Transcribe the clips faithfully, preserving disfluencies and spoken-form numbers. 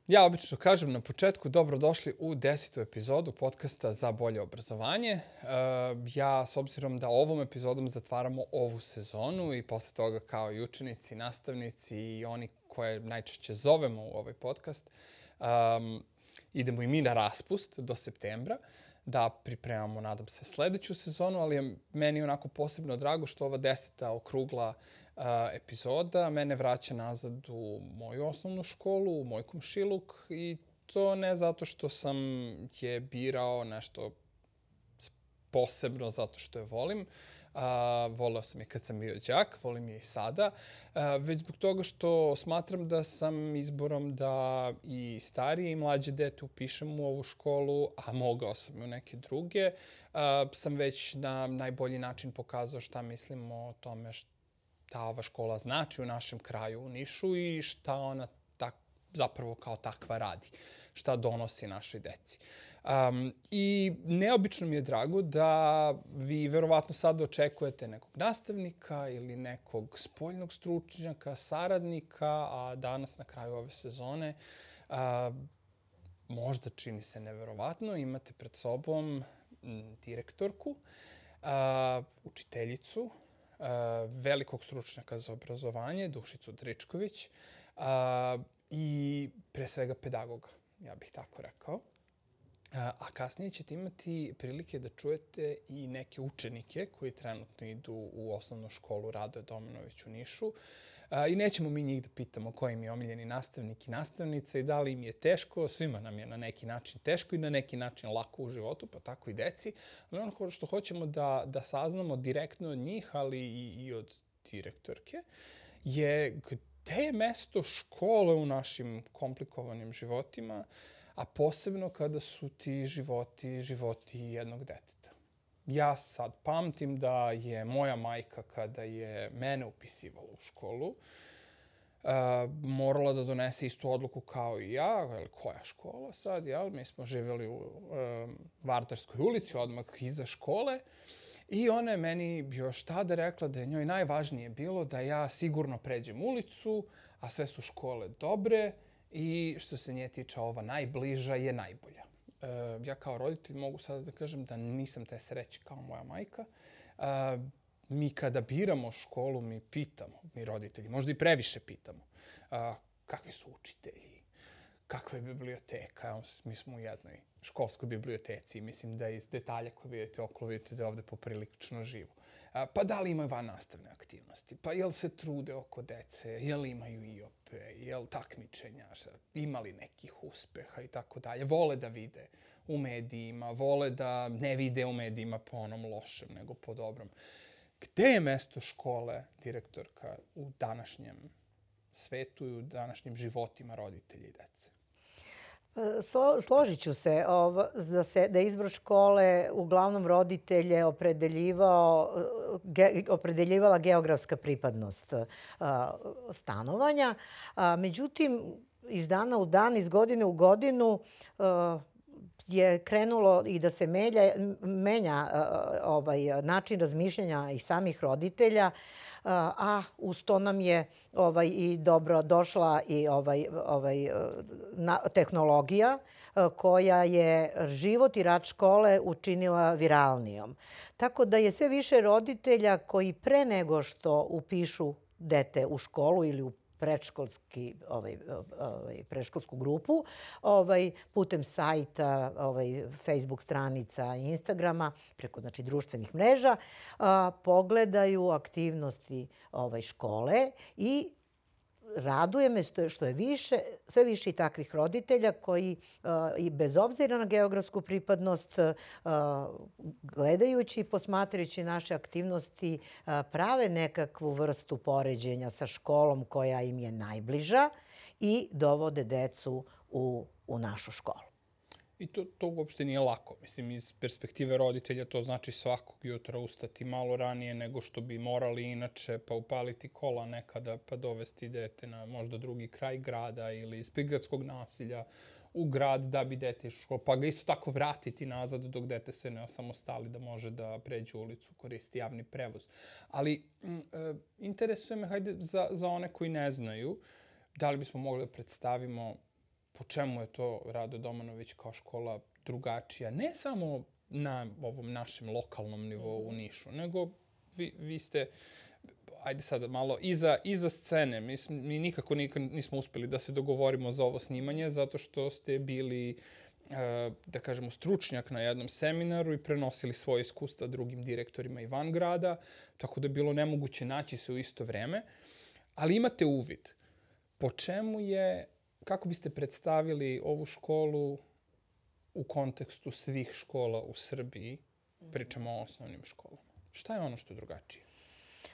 Ja obično kažem na početku dobrodošli u desetu epizodu podcasta Za bolje obrazovanje. Ja, s obzirom da ovom epizodom zatvaramo ovu sezonu i posle toga kao i učenici, nastavnici i oni koje najčešće zovemo u ovaj podcast, um, idemo i mi na raspust do septembra da pripremamo, nadam se, sledeću sezonu, ali je meni onako posebno drago što ova deseta okrugla uh, epizoda mene vraća nazad u moju osnovnu školu, u moj komšiluk, i to ne zato što sam je birao nešto posebno zato što je volim. Uh, voleo sam je kad sam bio đak, volim je i sada, uh, već zbog toga što smatram da sam izborom da i starije i mlađe dete upišem u ovu školu, a mogao sam i u neke druge, uh, sam već na najbolji način pokazao šta mislim o tome šta ova škola znači u našem kraju, u Nišu, i šta ona tak, zapravo kao takva radi, šta donosi našoj deci. Um, I neobično mi je drago da vi verovatno sad očekujete nekog nastavnika ili nekog spoljnog stručnjaka, saradnika, a danas na kraju ove sezone uh, možda čini se neverovatno, imate pred sobom m, direktorku, uh, učiteljicu, uh, velikog stručnjaka za obrazovanje, Dušicu Dričković, uh, i pre svega pedagoga, ja bih tako rekao. A kasnije ćete imati prilike da čujete i neke učenike koji trenutno idu u osnovnu školu Radoje Domanović u Nišu. I nećemo mi njih da pitamo ko im je omiljeni nastavnik i nastavnica i da li im je teško. Svima nam je na neki način teško i na neki način lako u životu, pa tako i deci. Ali ono što hoćemo da, da saznamo direktno od njih, ali i, i od direktorke, je gde je mesto škole u našim komplikovanim životima, a posebno kada su ti životi, životi jednog deteta. Ja sad pamtim da je moja majka, kada je mene upisivala u školu, uh, morala da donese istu odluku kao i ja, ili koja škola sad, jel? Mi smo živjeli u uh, Vardarskoj ulici, odmah iza škole, i ona je meni još tada rekla da je njoj najvažnije bilo da ja sigurno pređem ulicu, a sve su škole dobre, i što se nje tiče, ova najbliža je najbolja. E, ja kao roditelj mogu sada da kažem da nisam te sreće kao moja majka. E, mi kada biramo školu, mi pitamo, mi roditelji, možda i previše pitamo, e, kakvi su učitelji, kakva je biblioteka. Evo, mi smo u jednoj školskoj biblioteci i mislim da iz detalja koje vidite okolo, vidite da je ovde poprilično živo. Pa da li imaju van nastavne aktivnosti? Pa jel se trude oko dece? Jel imaju I O P? Jel takmičenja? Ima li nekih uspeha i tako dalje? Vole da vide u medijima, vole da ne vide u medijima po onom lošem, nego po dobrom. Gde je mesto škole, direktorka, u današnjem svetu i u današnjim životima roditelja i dece? Slo, složit ću se da, se da izbor škole uglavnom roditelje opredeljivao, ge, opredeljivala geografska pripadnost a, stanovanja. A, međutim, iz dana u dan, iz godine u godinu a, je krenulo i da se melja, menja a, ovaj, način razmišljanja i samih roditelja, a uz to nam je ovaj, i dobro došla i ovaj, ovaj, na, tehnologija koja je život i rad škole učinila viralnijom. Tako da je sve više roditelja koji pre nego što upišu dete u školu ili u predškolski, ovaj, ovaj, predškolsku grupu, ovaj, putem sajta, ovaj, Facebook stranica i Instagrama, preko znači, društvenih mreža, a, pogledaju aktivnosti ovaj, škole i raduje me što je više, sve više i takvih roditelja koji uh, i bez obzira na geografsku pripadnost, uh, gledajući i posmatrajući naše aktivnosti, uh, prave nekakvu vrstu poređenja sa školom koja im je najbliža i dovode decu u, u našu školu. I to, to uopšte nije lako. Mislim, iz perspektive roditelja to znači svakog jutra ustati malo ranije nego što bi morali inače, pa upaliti kola nekada, pa dovesti dete na možda drugi kraj grada ili iz prigradskog nasilja u grad da bi dete išlo u školu, pa ga isto tako vratiti nazad dok dete se ne osamostali da može da pređe ulicu, koristi javni prevoz. Ali m, e, interesuje me, hajde, za, za one koji ne znaju, da li bismo mogli da predstavimo po čemu je to Rado Domanović kao škola drugačija, ne samo na ovom našem lokalnom nivou u Nišu, nego vi, vi ste, ajde sada malo, iza, iza scene. Mi, mi nikako, nikako nismo uspeli da se dogovorimo za ovo snimanje, zato što ste bili, da kažemo, stručnjak na jednom seminaru i prenosili svoje iskustva drugim direktorima i van grada, tako da je bilo nemoguće naći se u isto vreme. Ali imate uvid. Po čemu je, kako biste predstavili ovu školu u kontekstu svih škola u Srbiji? Pričamo o osnovnim školama. Šta je ono što je drugačije?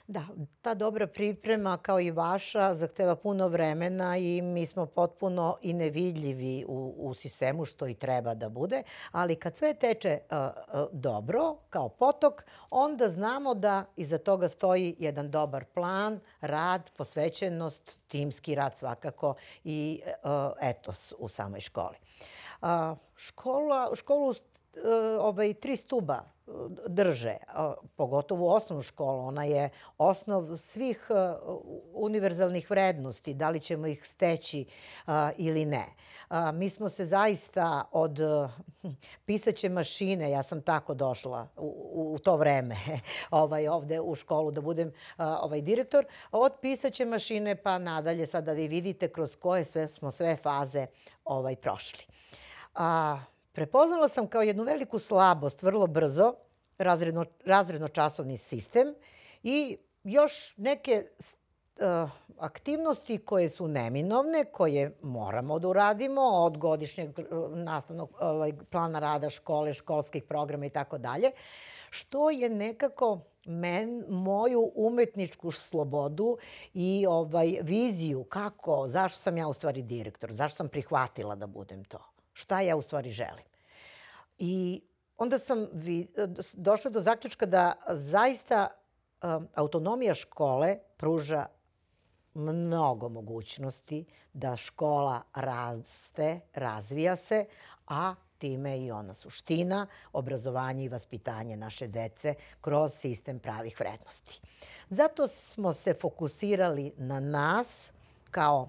Da, ta dobra priprema, kao i vaša, zahteva puno vremena i mi smo potpuno i nevidljivi u, u sistemu, što i treba da bude. Ali kad sve teče uh, uh, dobro, kao potok, onda znamo da iza toga stoji jedan dobar plan, rad, posvećenost, timski rad svakako i uh, etos u samoj školi. Uh, škola, školu uh, ovaj, tri stuba drže, pogotovo osnovnu školu. Ona je osnov svih univerzalnih vrednosti, da li ćemo ih steći ili ne. Mi smo se zaista od pisaće mašine, ja sam tako došla u, u to vreme ovaj, ovde u školu da budem ovaj, direktor, od pisaće mašine pa nadalje, sada vi vidite kroz koje sve smo sve faze ovaj, prošli. A, Prepoznala sam kao jednu veliku slabost vrlo brzo razredno, razredno-časovni sistem i još neke uh, aktivnosti koje su neminovne, koje moramo da uradimo od godišnjeg nastavnog ovaj, plana rada škole, školskih programa i tako dalje, što je nekako men, moju umetničku slobodu i ovaj, viziju kako, zašto sam ja u stvari direktor, zašto sam prihvatila da budem to. Šta ja u stvari želim. I onda sam vi, došla do zaključka da zaista um, autonomija škole pruža mnogo mogućnosti da škola raste, razvija se, a time i ona suština, obrazovanje i vaspitanje naše dece kroz sistem pravih vrednosti. Zato smo se fokusirali na nas kao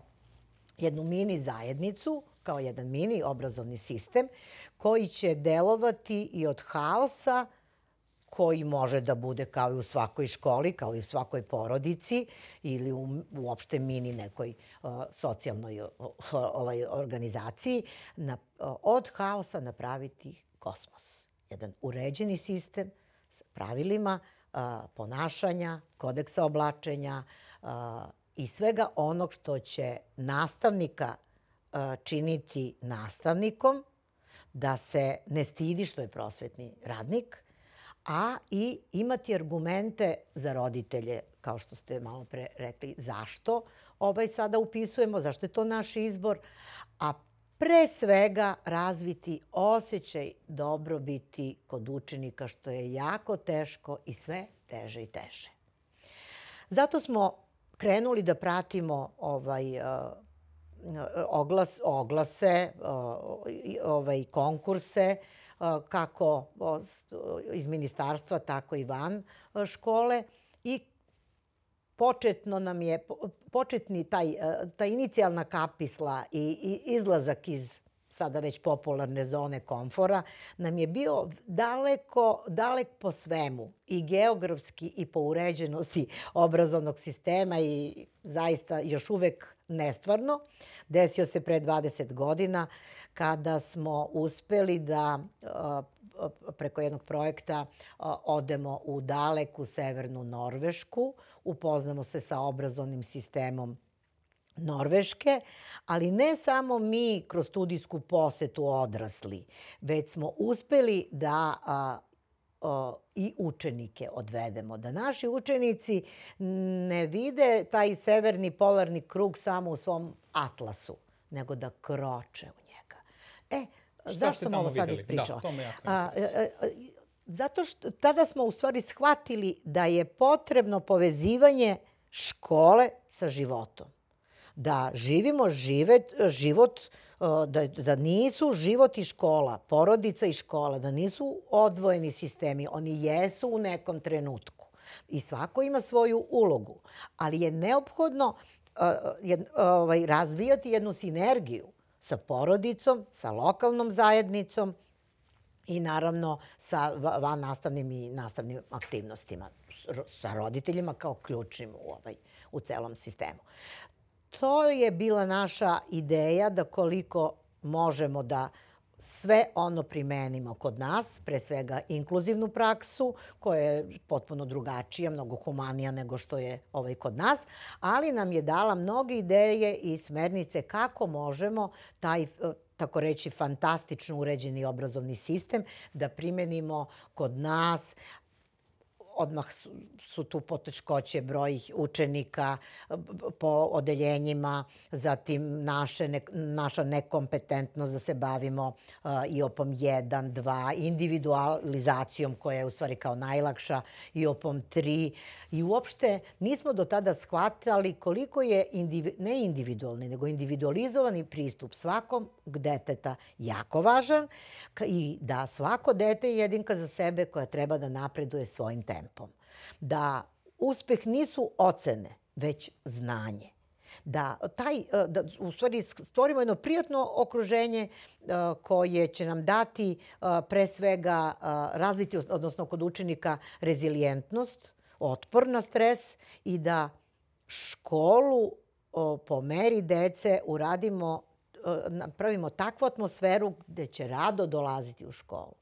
jednu mini zajednicu, kao jedan mini obrazovni sistem koji će delovati i od haosa koji može da bude kao i u svakoj školi, kao i u svakoj porodici ili u, uopšte mini nekoj uh, socijalnoj uh, ovaj, organizaciji, na, uh, od haosa napraviti kosmos. Jedan uređeni sistem sa pravilima uh, ponašanja, kodeksa oblačenja uh, i svega onog što će nastavnika činiti nastavnikom, da se ne stidi što je prosvetni radnik, a i imati argumente za roditelje, kao što ste malo pre rekli, zašto ovaj sada upisujemo, zašto je to naš izbor, a pre svega razviti osjećaj dobrobiti kod učenika, što je jako teško i sve teže i teže. Zato smo krenuli da pratimo ovaj Oglas, oglase, ovaj, konkurse, kako iz ministarstva, tako i van škole. I početno nam je, početni taj, ta inicijalna kapisla i, i izlazak iz sada već popularne zone komfora nam je bio daleko, dalek po svemu i geografski i po uređenosti obrazovnog sistema i zaista još uvek nestvarno. Desio se pre dvadeset godina kada smo uspeli da preko jednog projekta odemo u daleku severnu Norvešku, upoznamo se sa obrazovnim sistemom Norveške, ali ne samo mi kroz studijsku posetu odrasli, već smo uspeli da a, a, i učenike odvedemo. Da naši učenici ne vide taj severni polarni krug samo u svom atlasu, nego da kroče u njega. E, zašto sam ovo sad ispričala? Da, to me jako a, a, a, zato što tada smo u stvari shvatili da je potrebno povezivanje škole sa životom. Da živimo živet, život, da, da nisu život i škola, porodica i škola, da nisu odvojeni sistemi. Oni jesu u nekom trenutku i svako ima svoju ulogu, ali je neophodno uh, jed, ovaj, razvijati jednu sinergiju sa porodicom, sa lokalnom zajednicom i naravno sa vannastavnim i nastavnim aktivnostima, sa roditeljima kao ključnim u, ovaj, u celom sistemu. To je bila naša ideja da koliko možemo da sve ono primenimo kod nas, pre svega inkluzivnu praksu, koja je potpuno drugačija, mnogo humanija nego što je ovaj kod nas, ali nam je dala mnoge ideje i smernice kako možemo taj, tako reći, fantastično uređeni obrazovni sistem da primenimo kod nas. Odmah su, su tu poteškoće broj učenika po odeljenjima, zatim naše, ne, naša nekompetentnost da se bavimo uh, I O P-om jedan, dva, individualizacijom koja je u stvari kao najlakša, I O P-om tri. I uopšte nismo do tada shvatali koliko je indivi, ne individualni, nego individualizovani pristup svakom deteta jako važan i da svako dete je jedinka za sebe koja treba da napreduje svojim tempom. Da uspeh nisu ocene, već znanje. Da, taj, da u stvari stvorimo jedno prijatno okruženje koje će nam dati pre svega razviti, odnosno kod učenika, rezilijentnost, otpor na stres i da školu po meri dece uradimo, napravimo takvu atmosferu gde će rado dolaziti u školu.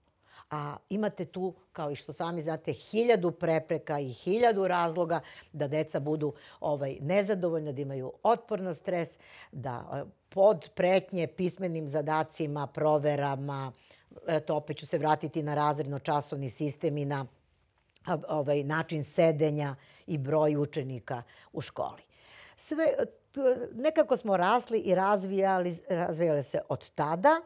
A imate tu, kao i što sami znate, hiljadu prepreka i hiljadu razloga da deca budu ovaj, nezadovoljna, da imaju otpor na stres, da pod pretnje pismenim zadacima, proverama, eto, opet ću se vratiti na razredno-časovni sistem i na ovaj, način sedenja i broj učenika u školi. Sve, nekako smo rasli i razvijali, razvijali se od tada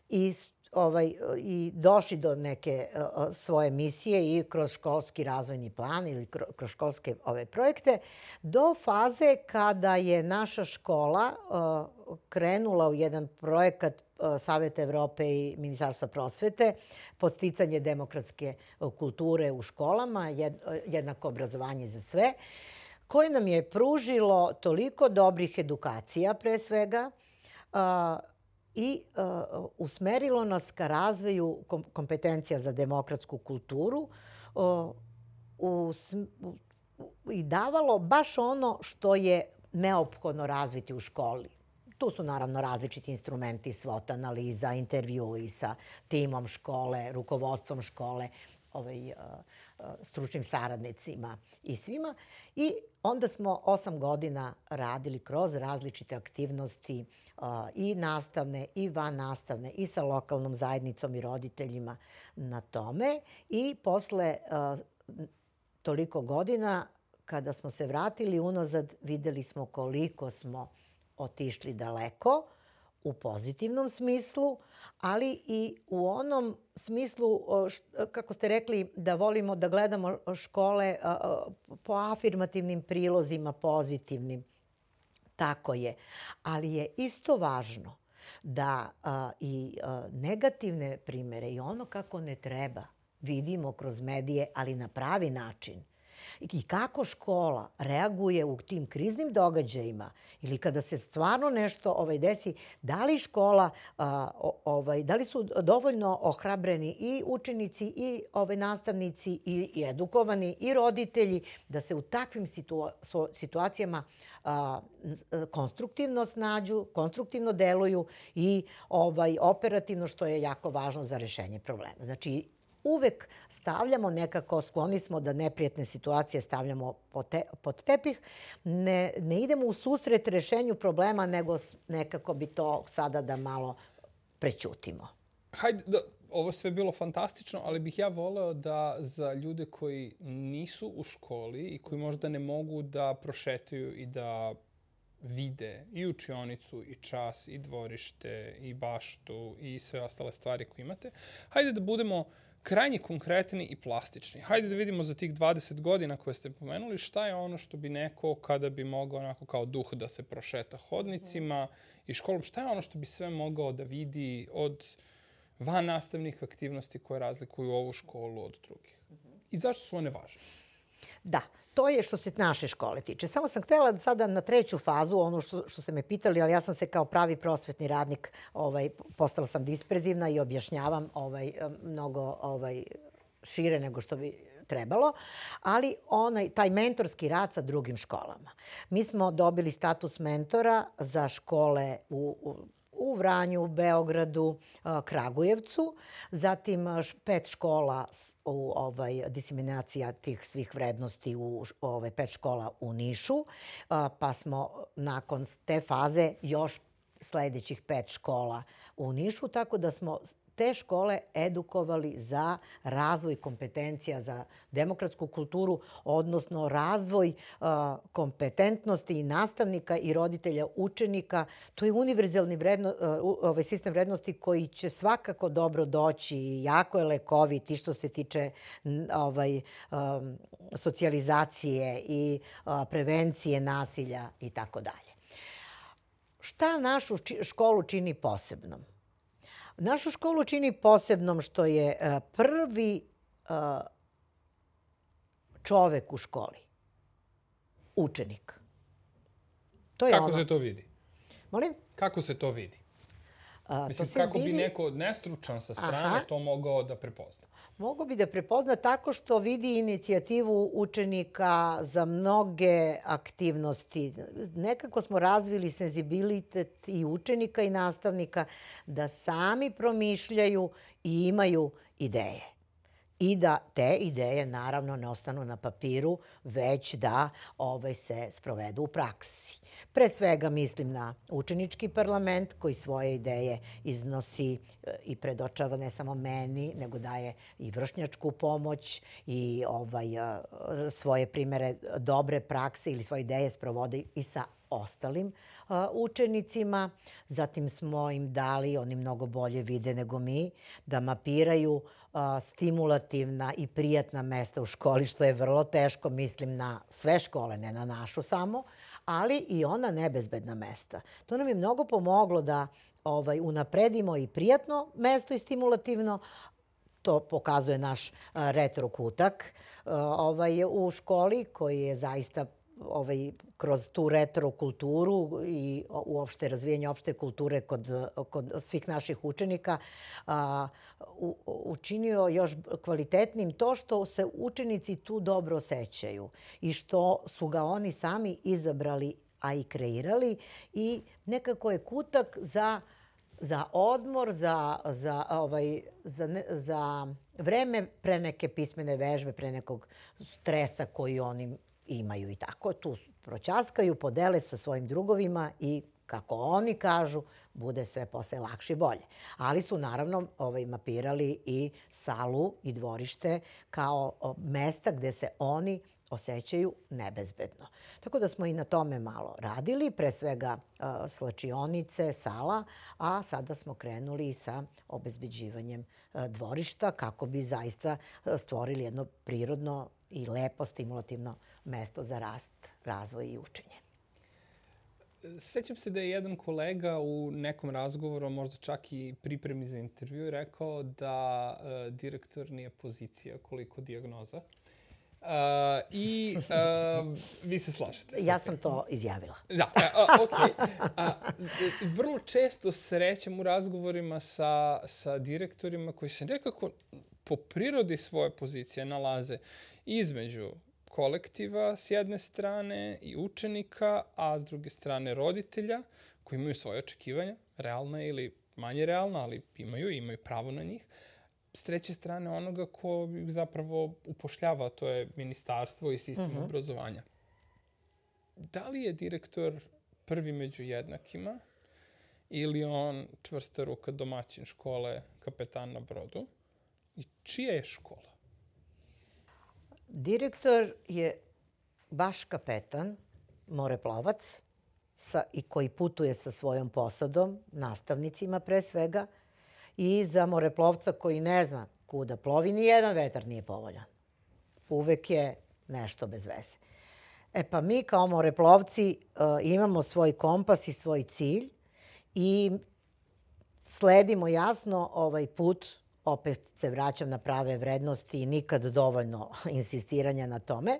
i Ovaj, i došli do neke uh, svoje misije i kroz školski razvojni plan ili kroz školske ove projekte, do faze kada je naša škola uh, krenula u jedan projekat uh, Saveta Evrope i Ministarstva prosvete, podsticanje demokratske kulture u školama, jed, jednako obrazovanje za sve, koje nam je pružilo toliko dobrih edukacija pre svega, uh, i uh, usmerilo nas ka razvoju kom kompetencija za demokratsku kulturu uh, u, u, i davalo baš ono što je neophodno razviti u školi. Tu su naravno različiti instrumenti, SWOT analiza, intervjui sa timom škole, rukovodstvom škole, ovaj, uh, uh, stručnim saradnicima i svima. I onda smo osam godina radili kroz različite aktivnosti uh, i nastavne i vannastavne i sa lokalnom zajednicom i roditeljima na tome. I posle uh, toliko godina, kada smo se vratili unazad, videli smo koliko smo otišli daleko u pozitivnom smislu, ali i u onom smislu, kako ste rekli, da volimo da gledamo škole po afirmativnim prilozima, pozitivnim. Tako je. Ali je isto važno da i negativne primere i ono kako ne treba vidimo kroz medije, ali na pravi način. I kako škola reaguje u tim kriznim događajima ili kada se stvarno nešto ovaj, desi, da li škola, a, ovaj, da li su dovoljno ohrabreni i učenici i ovaj, nastavnici i, i edukovani i roditelji da se u takvim situa situacijama a, konstruktivno snađu, konstruktivno deluju i ovaj, operativno, što je jako važno za rešenje problema. Znači, uvek stavljamo nekako, skloni smo da neprijatne situacije stavljamo pod, te, pod tepih. Ne, ne idemo u susret rešenju problema, nego nekako bi to sada da malo prećutimo. Hajde, da, ovo sve bilo fantastično, ali bih ja voleo da za ljude koji nisu u školi i koji možda ne mogu da prošetaju i da vide i učionicu, i čas, i dvorište, i baštu, i sve ostale stvari koje imate, hajde da budemo krajnje konkretni i plastični. Hajde da vidimo za tih dvadeset godina koje ste pomenuli šta je ono što bi neko, kada bi mogao onako kao duh da se prošeta hodnicima i školom, šta je ono što bi sve mogao da vidi od van nastavnih aktivnosti koje razlikuju ovu školu od drugih. I zašto su one važne? Da, to je što se naše škole tiče. Samo sam htjela sada na treću fazu, ono što, što ste me pitali, ali ja sam se kao pravi prosvetni radnik, ovaj, postala sam disperzivna i objašnjavam ovaj, mnogo ovaj, šire nego što bi trebalo, ali onaj, taj mentorski rad sa drugim školama. Mi smo dobili status mentora za škole u, u u Vranju, u Beogradu, Kragujevcu, zatim pet škola u ovaj, diseminacija tih svih vrednosti u ovaj, pet škola u Nišu, pa smo nakon te faze još sljedećih pet škola u Nišu, tako da smo te škole edukovali za razvoj kompetencija za demokratsku kulturu, odnosno razvoj uh, kompetentnosti i nastavnika i roditelja učenika. To je univerzalni vredno, uh, ovaj sistem vrednosti koji će svakako dobro doći. Jako je lekovit i što se tiče ovaj, um, socijalizacije i uh, prevencije nasilja i tako dalje. Šta našu školu čini posebnom? Našu školu čini posebnom što je prvi čovek u školi. Učenik. To je Kako ono... se to vidi? Molim? Kako se to vidi? A, Mislim, to kako vidi... bi neko nestručan sa strane Aha. to mogao da prepozna? Mogu bi da prepozna tako što vidi inicijativu učenika za mnoge aktivnosti. Nekako smo razvili senzibilitet i učenika i nastavnika da sami promišljaju i imaju ideje. I da te ideje naravno ne ostanu na papiru, već da ovaj, se sprovedu u praksi. Pre svega mislim na učenički parlament koji svoje ideje iznosi i predočava ne samo meni, nego daje i vršnjačku pomoć i ovaj, svoje primere dobre prakse ili svoje ideje sprovode i sa ostalim učenicima. Zatim smo im dali, oni mnogo bolje vide nego mi, da mapiraju stimulativna i prijatna mesta u školi, što je vrlo teško, mislim na sve škole, ne na našu samo, ali i ona nebezbedna mesta. To nam je mnogo pomoglo da ovaj, unapredimo i prijatno mesto i stimulativno. To pokazuje naš retro kutak ovaj, u školi koji je zaista ovaj, kroz tu retro kulturu i uopšte razvijanje opšte kulture kod, kod svih naših učenika a, u, učinio još kvalitetnim to što se učenici tu dobro osjećaju i što su ga oni sami izabrali, a i kreirali i nekako je kutak za, za odmor, za, za, ovaj, za, ne, za vreme pre neke pismene vežbe, pre nekog stresa koji oni imaju i tako. Tu proćaskaju, podele sa svojim drugovima i, kako oni kažu, bude sve posle lakše i bolje. Ali su naravno ovaj, mapirali i salu i dvorište kao mesta gde se oni osjećaju nebezbedno. Tako da smo i na tome malo radili, pre svega uh, slačionice, sala, a sada smo krenuli i sa obezbeđivanjem uh, dvorišta kako bi zaista stvorili jedno prirodno i lepo stimulativno mesto za rast, razvoj i učenje. Sećam se da je jedan kolega u nekom razgovoru, možda čak i pripremi za intervju, rekao da uh, direktor nije pozicija koliko dijagnoza. Uh, I uh, vi se slažete. Ja sam to izjavila. Da, uh, ok. Uh, vrlo često srećem u razgovorima sa, sa direktorima koji se nekako po prirodi svoje pozicije nalaze između kolektiva s jedne strane i učenika, a s druge strane roditelja koji imaju svoje očekivanja, realna ili manje realna, ali imaju imaju pravo na njih. S treće strane onoga ko ih zapravo upošljava, to je ministarstvo i sistem uh-huh. obrazovanja. Da li je direktor prvi među jednakima ili on čvrsta ruka domaćin škole, kapetan na brodu? I čija je škola? Direktor je baš kapetan, moreplovac, sa, i koji putuje sa svojom posadom, nastavnicima pre svega, i za moreplovca koji ne zna kuda plovi, ni jedan vetar nije povoljan. Uvek je nešto bez veze. E pa mi kao moreplovci uh, imamo svoj kompas i svoj cilj i sledimo jasno ovaj put. Opet se vraćam na prave vrednosti i nikad dovoljno insistiranja na tome.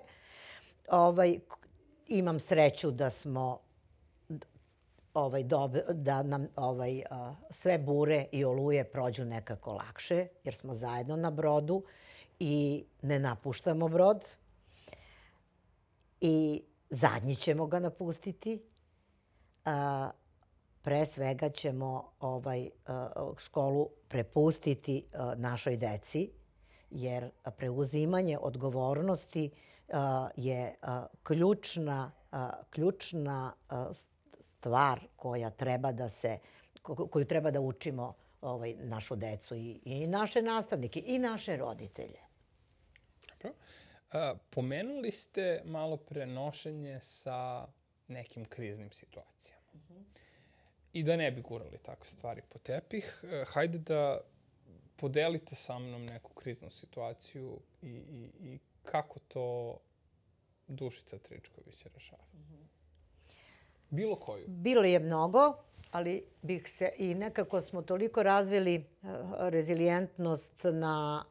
ovaj, imam sreću da smo ovaj, dobe, da nam ovaj, a, sve bure i oluje prođu nekako lakše, jer smo zajedno na brodu i ne napuštamo brod. I zadnji ćemo ga napustiti. A, pre svega ćemo ovaj, a, školu prepustiti a, našoj deci, jer preuzimanje odgovornosti a, je a, ključna, a, ključna a, stvar koja treba da se, koju treba da učimo ovaj, našu decu i, i naše nastavnike i naše roditelje. Dobro. A, pomenuli ste malo pre nošenje sa nekim kriznim situacijama. Uh-huh. I da ne bi gurali takve stvari po tepih, hajde da podelite sa mnom neku kriznu situaciju i, i, i kako to Dušica Tričković rešava. Uh-huh. Bilo koju? Bilo je mnogo, ali bih se i nekako smo toliko razvili rezilijentnost na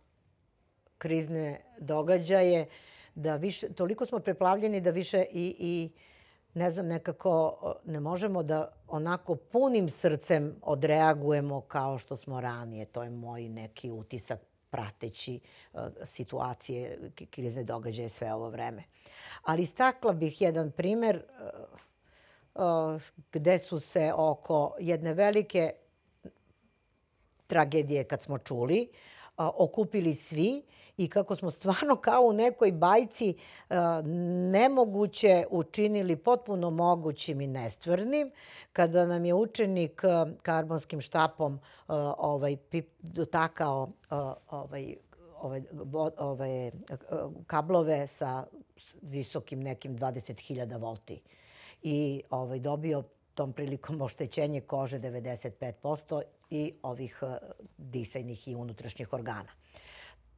krizne događaje, da više, toliko smo preplavljeni da više i, i ne znam, nekako ne možemo da onako punim srcem odreagujemo kao što smo ranije. To je moj neki utisak prateći uh, situacije, krizne događaje sve ovo vreme. Ali istakla bih jedan primer uh, uh, gde su se oko jedne velike tragedije, kad smo čuli, uh, okupili svi i kako smo stvarno kao u nekoj bajci uh, nemoguće učinili potpuno mogućim i nestvarnim, kada nam je učenik uh, karbonskim štapom uh, ovaj, pip, dotakao uh, ovaj, ove, ove kablove sa visokim nekim dvadeset hiljada volti i ovaj, dobio tom prilikom oštećenje kože devedeset pet posto i ovih uh, disajnih i unutrašnjih organa.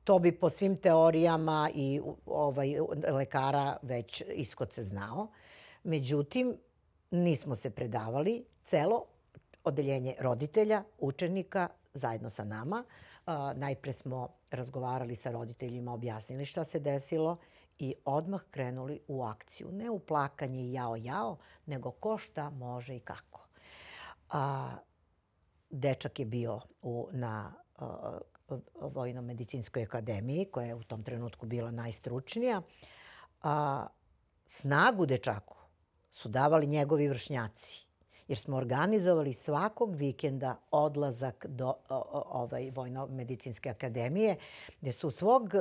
To bi po svim teorijama i ovaj, lekara već ishod se znao. Međutim, nismo se predavali. Celo odeljenje roditelja, učenika, zajedno sa nama. A, najpre smo razgovarali sa roditeljima, objasnili šta se desilo i odmah krenuli u akciju. Ne u plakanje i jao, jao, nego ko šta može i kako. A, dečak je bio u, na a, Vojno-medicinskoj akademiji, koja je u tom trenutku bila najstručnija. A, snagu dečaku su davali njegovi vršnjaci, jer smo organizovali svakog vikenda odlazak do ovaj, Vojno-medicinske akademije, gde su svog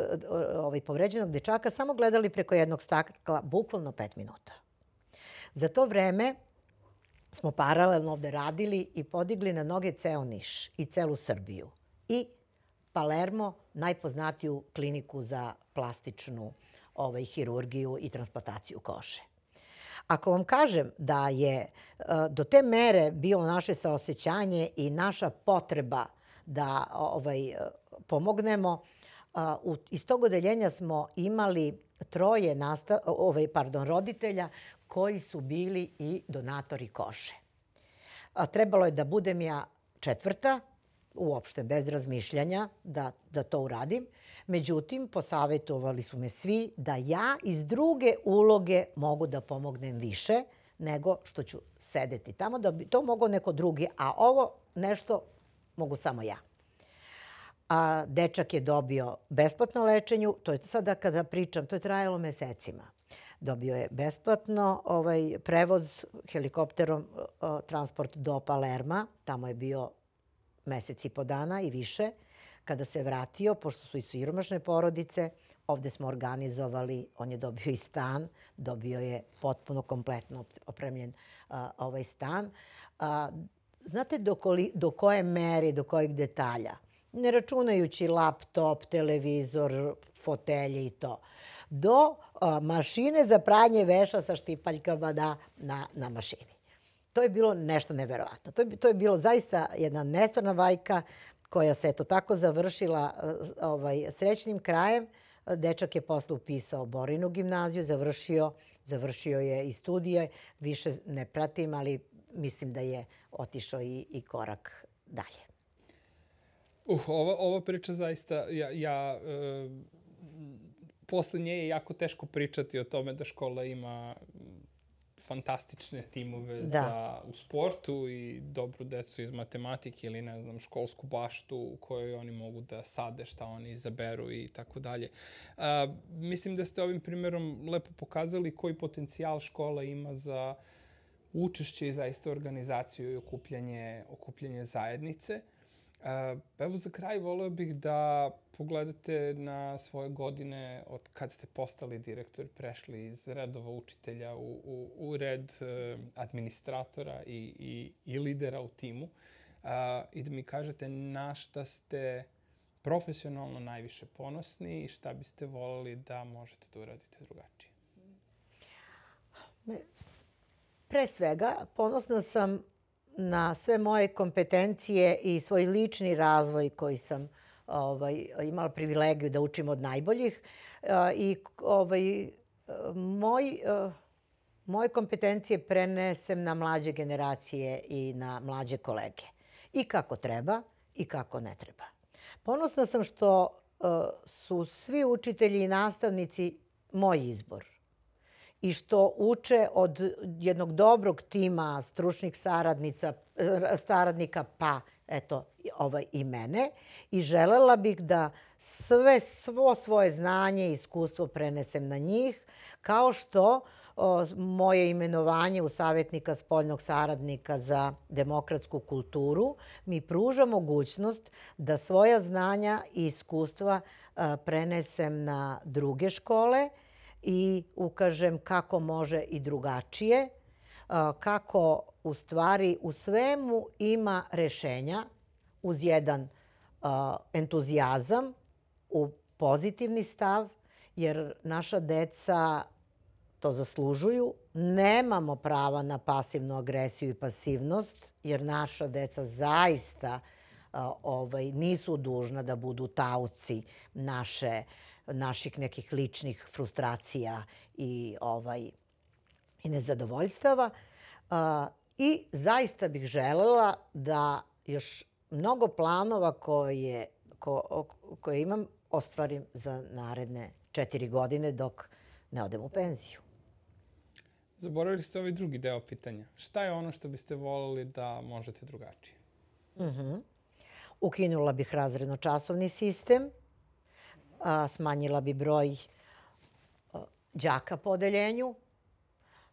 ovaj, povređenog dečaka samo gledali preko jednog stakla, bukvalno pet minuta. Za to vreme smo paralelno ovde radili i podigli na noge ceo Niš i celu Srbiju. I Palermo, najpoznatiju kliniku za plastičnu ovaj, hirurgiju i transplantaciju kože. Ako vam kažem da je uh, do te mere bilo naše saosećanje i naša potreba da ovaj, pomognemo, uh, u, iz tog odeljenja smo imali troje nasta, ovaj, pardon, roditelja koji su bili i donatori kože. A, trebalo je da budem ja četvrta, uopšte bez razmišljanja da, da to uradim. Međutim, posavjetovali su me svi da ja iz druge uloge mogu da pomognem više nego što ću sedeti tamo, da bi to mogao neko drugi, a ovo nešto mogu samo ja. A dečak je dobio besplatno lečenje, to je sada kada pričam, to je trajalo mesecima. Dobio je besplatno ovaj, prevoz helikopterom, o, transport do Palerma, tamo je bio mesec i po dana i više. Kada se vratio, pošto su i siromašne porodice, ovde smo organizovali, on je dobio i stan, dobio je potpuno kompletno opremljen a, ovaj stan. A, znate do, koli, do koje mere, do kojeg detalja? Ne računajući laptop, televizor, fotelje i to. Do a, mašine za pranje veša sa štipaljkama na, na, na mašini. To je bilo nešto neverovatno. To je, to je bilo zaista jedna nestvarna bajka koja se eto tako završila ovaj, srećnim krajem. Dečak je posle upisao Borinu gimnaziju, završio, završio je i studije. Više ne pratim, ali mislim da je otišao i, i korak dalje. Uh, ova, ova priča zaista, ja, ja e, posle nje je jako teško pričati o tome da škola ima fantastične timove Da. za, u sportu i dobru decu iz matematike ili, ne znam, školsku baštu u kojoj oni mogu da sade šta oni izaberu i tako dalje. A, Mislim da ste ovim primjerom lepo pokazali koji potencijal škola ima za učešće i zaista organizaciju i okupljanje, okupljanje zajednice. A, Evo za kraj voleo bih da pogledate na svoje godine od kad ste postali direktor, prešli iz redova učitelja u, u, u red e, administratora i, i, i lidera u timu a, i da mi kažete na šta ste profesionalno najviše ponosni i šta biste voleli da možete da uradite drugačije. Pre svega, ponosna sam na sve moje kompetencije i svoj lični razvoj koji sam ovaj, imala privilegiju da učim od najboljih. I ovaj, moj, moje kompetencije prenesem na mlađe generacije i na mlađe kolege. I kako treba i kako ne treba. Ponosna sam što su svi učitelji i nastavnici moj izbor. I što uče od jednog dobrog tima stručnih saradnica, saradnika, pa eto, ovaj, i mene. I želela bih da sve, svo svoje znanje i iskustvo prenesem na njih, kao što o, moje imenovanje u savjetnika spoljnog saradnika za demokratsku kulturu mi pruža mogućnost da svoja znanja i iskustva a, prenesem na druge škole i ukažem kako može i drugačije, kako u stvari u svemu ima rešenja uz jedan entuzijazam, u pozitivni stav, jer naša deca to zaslužuju. Nemamo prava na pasivnu agresiju i pasivnost, jer naša deca zaista ovaj, nisu dužna da budu taoci naše naših nekih ličnih frustracija i, ovaj, i nezadovoljstava. A, I zaista bih želela da još mnogo planova koje, ko, koje imam ostvarim za naredne četiri godine dok ne odem u penziju. Zaboravili ste ovaj drugi deo pitanja. Šta je ono što biste voljeli da možete drugačije? Uh-huh. Ukinula bih razredno-časovni sistem, a, smanjila bi broj a, đaka po odeljenju,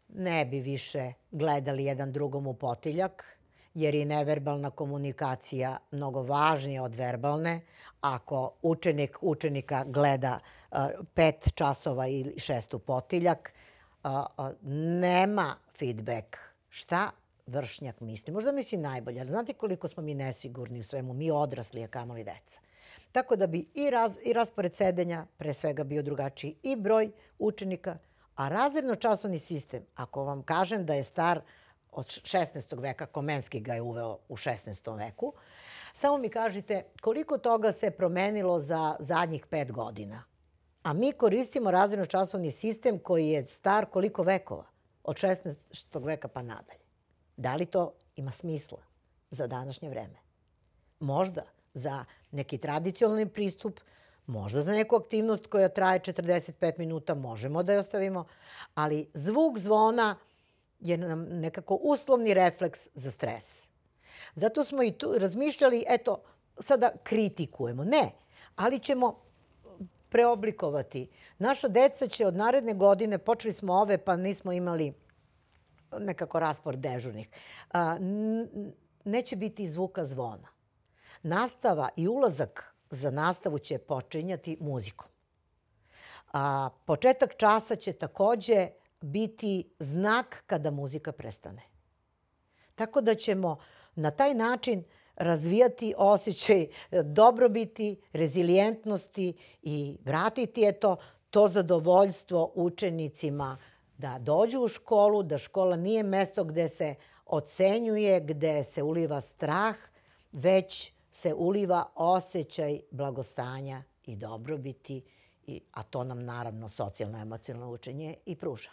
ne bi više gledali jedan drugom u potiljak, jer je neverbalna komunikacija mnogo važnija od verbalne. Ako učenik učenika gleda a, pet časova ili šest u potiljak, a, a, nema feedback. Šta vršnjak misli? Možda misli najbolje, ali znate koliko smo mi nesigurni u svemu, mi odrasli, a kamoli deca. Tako da bi i, raz, i raspored sedenja pre svega bio drugačiji i broj učenika, a razredno-časovni sistem, ako vam kažem da je star od šesnaestog veka, Komenski ga je uveo u šesnaestom veku, samo mi kažite koliko toga se promenilo za zadnjih pet godina. A mi koristimo razredno-časovni sistem koji je star koliko vekova? Od šesnaestog veka pa nadalje. Da li to ima smisla za današnje vreme? Možda za neki tradicionalni pristup, možda za neku aktivnost koja traje četrdeset pet minuta, možemo da je ostavimo, ali zvuk zvona je nam nekako uslovni refleks za stres. Zato smo i tu razmišljali, eto, sada kritikujemo. Ne, ali ćemo preoblikovati. Naša deca će od naredne godine, počeli smo ove pa nismo imali nekako raspored dežurnih, neće biti zvuka zvona. Nastava i ulazak za nastavu će počinjati muzikom. A početak časa će takođe biti znak kada muzika prestane. Tako da ćemo na taj način razvijati osjećaj dobrobiti, rezilijentnosti i vratiti eto, to zadovoljstvo učenicima da dođu u školu, da škola nije mesto gde se ocenjuje, gde se uliva strah, već se uliva osjećaj blagostanja i dobrobiti, a to nam naravno socijalno-emocionalno učenje i pruža.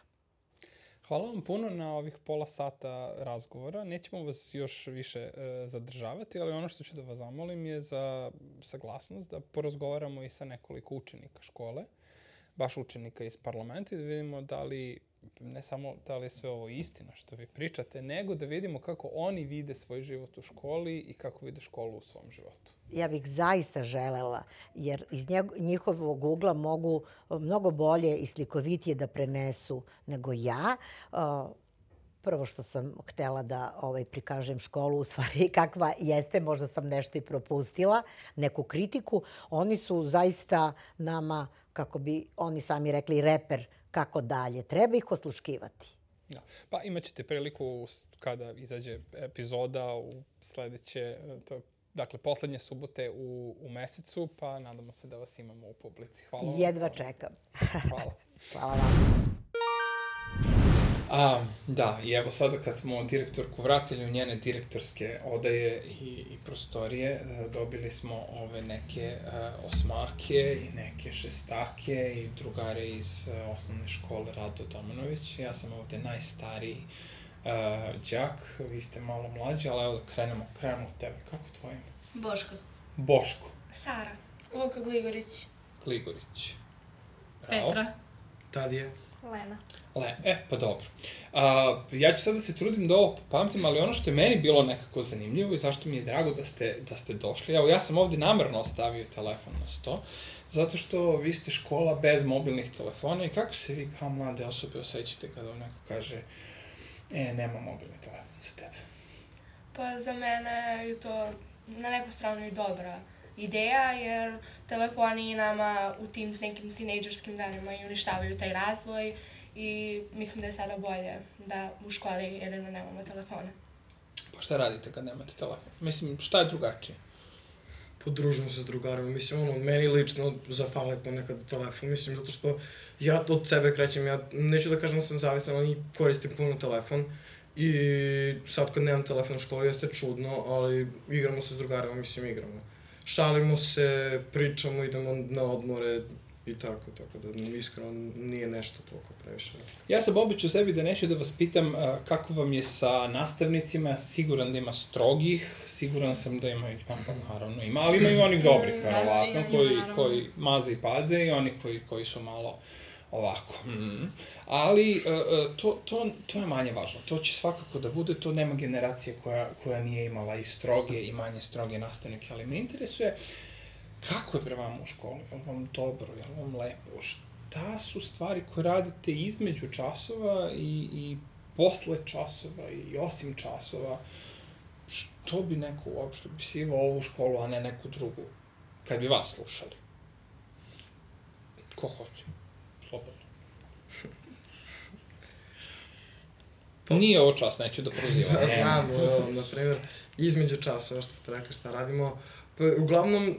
Hvala vam puno na ovih pola sata razgovora. Nećemo vas još više e, zadržavati, ali ono što ću da vas zamolim je za saglasnost da porazgovaramo i sa nekoliko učenika škole. baš učenika iz parlamenta i da vidimo da li, ne samo da li je sve ovo istina što vi pričate, nego da vidimo kako oni vide svoj život u školi i kako vide školu u svom životu. Ja bih zaista želela, jer iz njihovog ugla mogu mnogo bolje i slikovitije da prenesu nego ja. Prvo što sam htela da ovaj, prikažem školu, u stvari kakva jeste, možda sam nešto i propustila, neku kritiku. Oni su zaista nama, kako bi oni sami rekli, reper kako dalje. Treba ih osluškivati. Da. Pa imat ćete priliku kada izađe epizoda u sledeće, to, dakle, poslednje subote u, u mesecu, pa nadamo se da vas imamo u publici. Hvala vam. Jedva čekam. Hvala. Hvala vam. A, da, i evo sada kad smo direktorku vratili u njene direktorske odaje i, i prostorije, dobili smo ove neke uh, osmake i neke šestake i drugare iz uh, osnovne škole Rado Domanović. Ja sam ovde najstariji uh, đak, vi ste malo mlađi, ali evo da krenemo, krenemo od tebe. Kako je tvoje ime? Boško. Boško. Sara. Luka Gligorić. Gligorić. Bravo. Petra. Tadija. Lena. Le, e, pa dobro. A, ja ću sad da se trudim da ovo pamtim, ali ono što je meni bilo nekako zanimljivo i zašto mi je drago da ste, da ste došli, evo ja sam ovde namerno ostavio telefon na sto, zato što vi ste škola bez mobilnih telefona i kako se vi kao mlade osobe osjećate kada vam neko kaže e, nema mobilni telefon za tebe? Pa za mene je to na neku stranu i dobra ideja, jer telefoni nama u tim nekim tinejdžerskim danima i uništavaju taj razvoj i mislim da je sada bolje da u školi jedino nemamo telefone. Pa šta radite kad nemate telefon? Mislim, šta je drugačije? Podružimo se s drugarima. Mislim, ono, meni lično zafale ponekad telefon. Mislim, zato što ja od sebe krećem, ja neću da kažem da sam zavistan, ali koristim puno telefon. I sad kad nemam telefon u školi jeste čudno, ali igramo se s drugarima, mislim, igramo. Šalimo se, pričamo, idemo na odmore i tako, tako da iskreno nije nešto toliko previše. Ja sam običao sebi da neću da vas pitam uh, kako vam je sa nastavnicima, ja sam siguran da ima strogih, siguran sam da ima, pa, naravno ima, ali ima i onih dobrih, verovatno, koji, koji maze i paze i oni koji, koji su malo ovako. Mm. Ali uh, to, to, to je manje važno, to će svakako da bude, to nema generacije koja, koja nije imala i stroge i manje stroge nastavnike, ali me interesuje kako je pre vama u školi, je li vam dobro, je li vam lepo, šta su stvari koje radite između časova i, i posle časova i osim časova, što bi neko uopšte opisivao ovu školu, a ne neku drugu, kad bi vas slušali? Ko hoće? Slobodno. Nije ovo čas, neću da prozivam. Ja znam, na primjer, između časova, što ste rekli šta radimo, pa uglavnom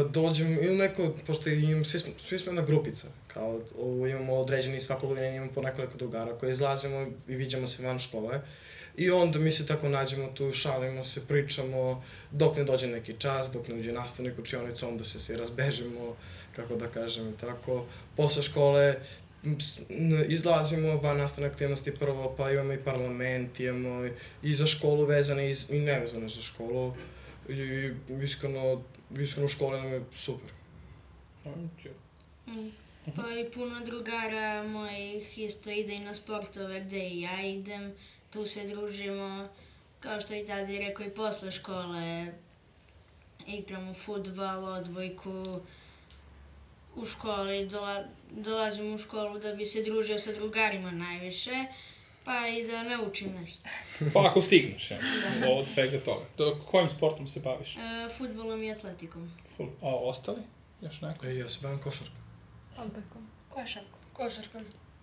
dođem ili neko, pošto im, svi, smo, svi smo jedna grupica, kao ovo, imamo određeni svakog godine, imamo po nekoliko drugara koje izlazimo i viđamo se van škole. I onda mi se tako nađemo tu, šalimo se, pričamo, dok ne dođe neki čas, dok ne uđe nastavnik u učionicu, onda se svi razbežimo, kako da kažem i tako. Posle škole izlazimo van nastavne aktivnosti prvo, pa imamo i parlament, imamo i za školu vezane i nevezane za školu. I iskreno, iskreno u školi nam je super. Mm. Pa i puno drugara mojih isto ide i na sportove gde i ja idem, tu se družimo, kao što i tada je rekao i posle škole, igramo fudbal, odbojku, u školi, dola, dolazim u školu da bi se družio sa drugarima najviše, pa i da naučim nešto. Pa ako stigneš, ja, od svega toga. Do, kojim sportom se baviš? E, futbolom i atletikom. Ful, a ostali? Još neko? E, ja se bavim košarkom. Odbojkom. Košarkom. Košarkom.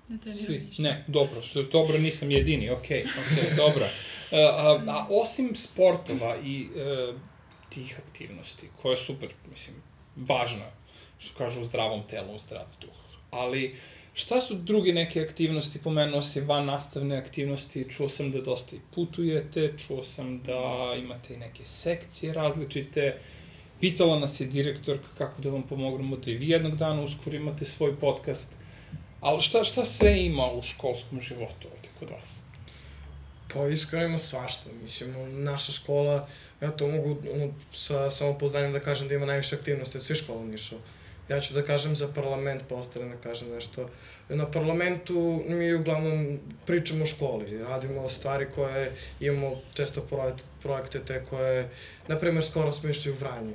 Ne treniram Svi? ništa. Ne, dobro, dobro, nisam jedini, okej, okay, okej, okay, dobro. A, a, a osim sportova i e, tih aktivnosti, koje je super, mislim, važno, što kažu u zdravom telu, u zdrav duh, ali šta su druge neke aktivnosti, pomenuo si van nastavne aktivnosti, čuo sam da dosta i putujete, čuo sam da imate i neke sekcije različite, pitala nas je direktorka kako da vam pomognemo da i vi jednog dana uskoro imate svoj podcast, ali šta, šta sve ima u školskom životu ovde kod vas? Pa iskreno ima svašta, mislim, naša škola, ja to mogu ono, sa samopoznanjem da kažem da ima najviše aktivnosti od svih škola u Nišu. Ja ću da kažem za parlament, pa ostale ne kažem nešto. Na parlamentu mi uglavnom pričamo o školi, radimo stvari koje imamo često projekt, projekte te koje, na primjer, skoro smo išli u Vranje,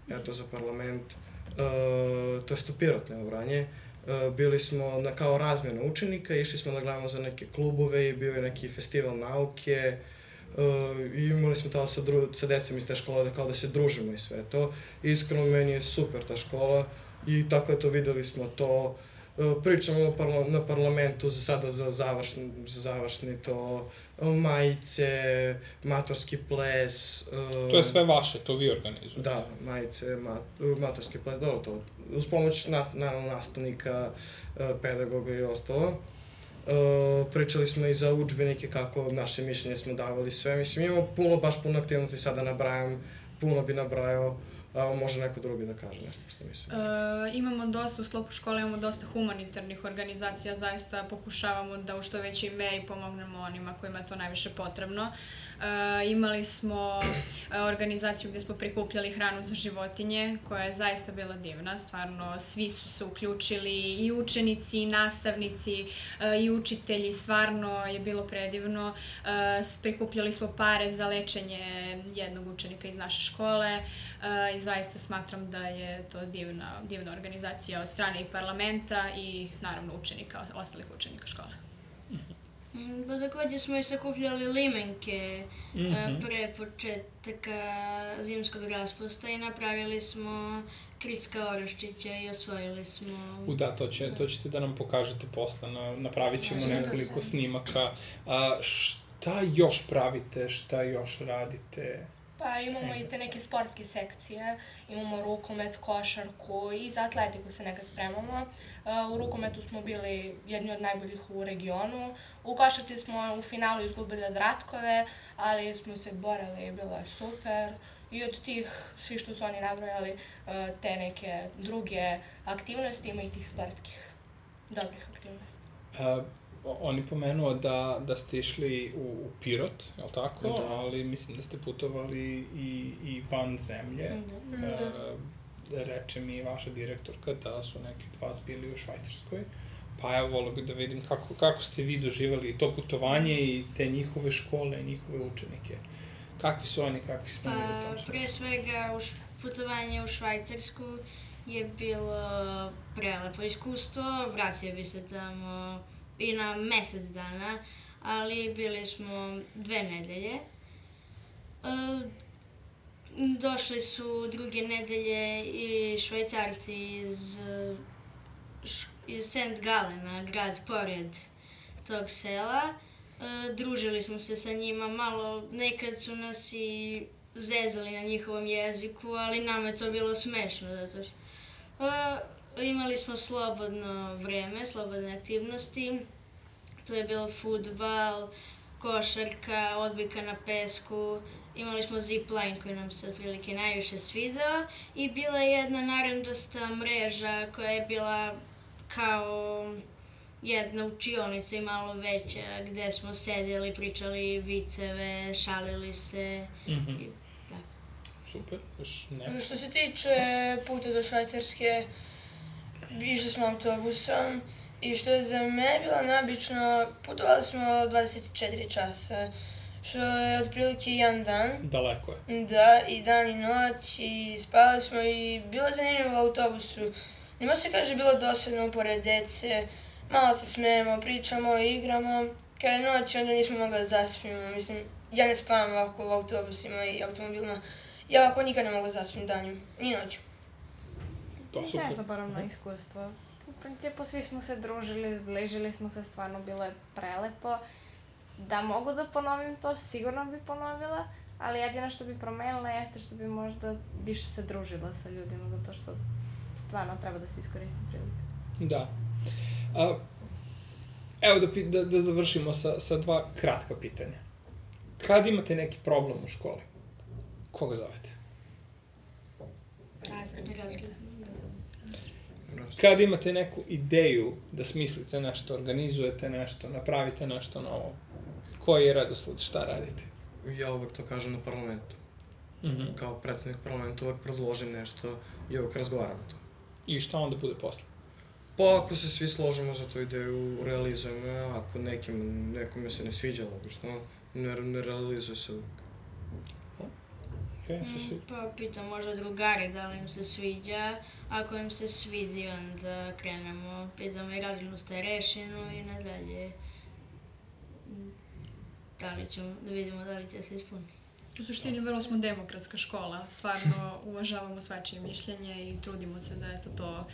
eto za parlament, uh, to je u Pirot, ne u Vranje. Uh, bili smo na kao razmjena učenika, išli smo da gledamo za neke klubove i bio je neki festival nauke, Uh, i imali smo tamo sa, dru, sa decom iz te škole da kao da se družimo i sve to. Iskreno, meni je super ta škola i tako je to, videli smo to. Uh, pričamo parla, na parlamentu za sada za završni, za završni to, uh, majice, matorski ples. Uh, To je sve vaše, to vi organizujete? Da, majice, mat, matorski ples, dobro to. Uz pomoć, nas, naravno, nastavnika, uh, pedagoga i ostalo. Uh, pričali smo i za udžbenike, kako naše mišljenje smo davali sve. Mislim, imamo puno, baš puno aktivnosti, sada nabrajam, puno bi nabrajao, a može neko drugi da kaže nešto što mislim. Uh, imamo dosta, u sklopu škole imamo dosta humanitarnih organizacija, zaista pokušavamo da u što većoj meri pomognemo onima kojima je to najviše potrebno. Uh, imali smo uh, organizaciju gde smo prikupljali hranu za životinje, koja je zaista bila divna, stvarno svi su se uključili, i učenici, i nastavnici, uh, i učitelji, stvarno je bilo predivno. Uh, prikupljali smo pare za lečenje jednog učenika iz naše škole uh, i zaista smatram da je to divna, divna organizacija od strane i parlamenta i naravno učenika, ostalih učenika škole. Pa takođe smo i sakupljali limenke Mm-hmm. pre početaka zimskog raspusta i napravili smo Kricka Oraščića i osvojili smo... U da, to, će, to ćete da nam pokažete posle, na, napravit ćemo nekoliko snimaka. A, šta još pravite, šta još radite? Pa imamo i te neke sportske sekcije, imamo rukomet, košarku i za atletiku se nekad spremamo. U rukometu smo bili jedni od najboljih u regionu. U košarci smo u finalu izgubili od Ratkove, ali smo se borili i bilo je super. I od tih, svi što su oni nabrojali, te neke druge aktivnosti, ima i tih sportskih dobrih aktivnosti. A, on je pomenuo da, da ste išli u, u Pirot, je li tako? Da. Ali mislim da ste putovali i, i van zemlje. Da. A, reče mi vaša direktorka da su neki od vas bili u Švajcarskoj. Pa ja volio bih da vidim kako, kako ste vi doživali to putovanje i te njihove škole i njihove učenike. Kakvi su oni, kakvi smo mi u tom Pa, smislu? pre svega, u š, putovanje u Švajcarsku je bilo prelepo iskustvo, vratio bi se tamo i na mesec dana, ali bili smo dve nedelje. E, došli su druge nedelje i Švajcarci iz, š, iz Saint Galena, grad pored tog sela. E, družili smo se sa njima malo, nekad su nas i zezali na njihovom jeziku, ali nama je to bilo smešno, zato što e, imali smo slobodno vreme, slobodne aktivnosti. To je bilo fudbal, košarka, odbojka na pesku, imali smo zipline koji nam se otprilike najviše svidao i bila je jedna narandžasta mreža koja je bila kao jedna učionica i malo veća, gde smo sedeli, pričali viceve, šalili se. Mm-hmm. I, da. Super, još ne. Što se tiče puta do Švajcarske, išli smo autobusom i što je za mene bilo neobično, putovali smo dvadeset četiri časa, što je otprilike jedan dan. Daleko je. Da, i dan i noć, i spali smo i bilo je zanimljivo u autobusu. Nima se kaže bilo dosadno pored dece, malo se smejemo, pričamo, igramo. Kada je noć, onda nismo mogli da zaspimo. Mislim, ja ne spavam ovako u autobusima i automobilima. Ja ovako nikad ne mogu da zaspim danju, ni noću. To super. Nezaboravno iskustvo. U principu svi smo se družili, zbližili smo se, stvarno bilo je prelepo. Da mogu da ponovim to, sigurno bi ponovila, ali jedino što bi promenila jeste što bi možda više se družila sa ljudima, zato što stvarno treba da se iskoristi prilika. Da. A, evo da, pi- da, da završimo sa, sa dva kratka pitanja. Kad imate neki problem u školi, koga zovete? Razred. Kad imate neku ideju da smislite nešto, organizujete nešto, napravite nešto novo, koji je redosled, šta radite? Ja uvek to kažem na parlamentu. Mm-hmm. Kao predsednik parlamenta uvek predložim nešto i uvek razgovaram to. I šta onda bude posle? Pa ako se svi složimo za tu ideju, realizujemo je, ako nekim, nekome se ne sviđa, logično, ne, ne realizuje se uvijek. Okay, se svi... Pa pitam možda drugari da li im se sviđa, ako im se svidi onda krenemo, pitamo i razrednu starešinu i nadalje. Da li ćemo, da vidimo da li će se ispuniti. U suštini vrlo smo demokratska škola, stvarno uvažavamo svačije mišljenje i trudimo se da eto to,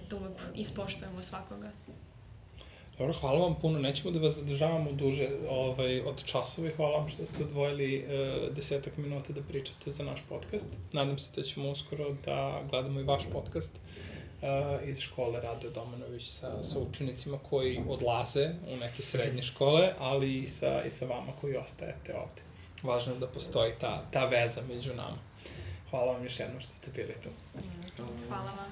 da uvek ispoštujemo svakoga. Dobro, hvala vam puno. Nećemo da vas zadržavamo duže ovaj, od časova i hvala vam što ste odvojili uh, desetak minuta da pričate za naš podcast. Nadam se da ćemo uskoro da gledamo i vaš podcast uh, iz škole Rade Domanović sa, sa učenicima koji odlaze u neke srednje škole, ali i sa, i sa vama koji ostajete ovde. Važno je da postoji ta, ta veza među nama. Hvala vam još jednom što ste bili tu. Hvala vam.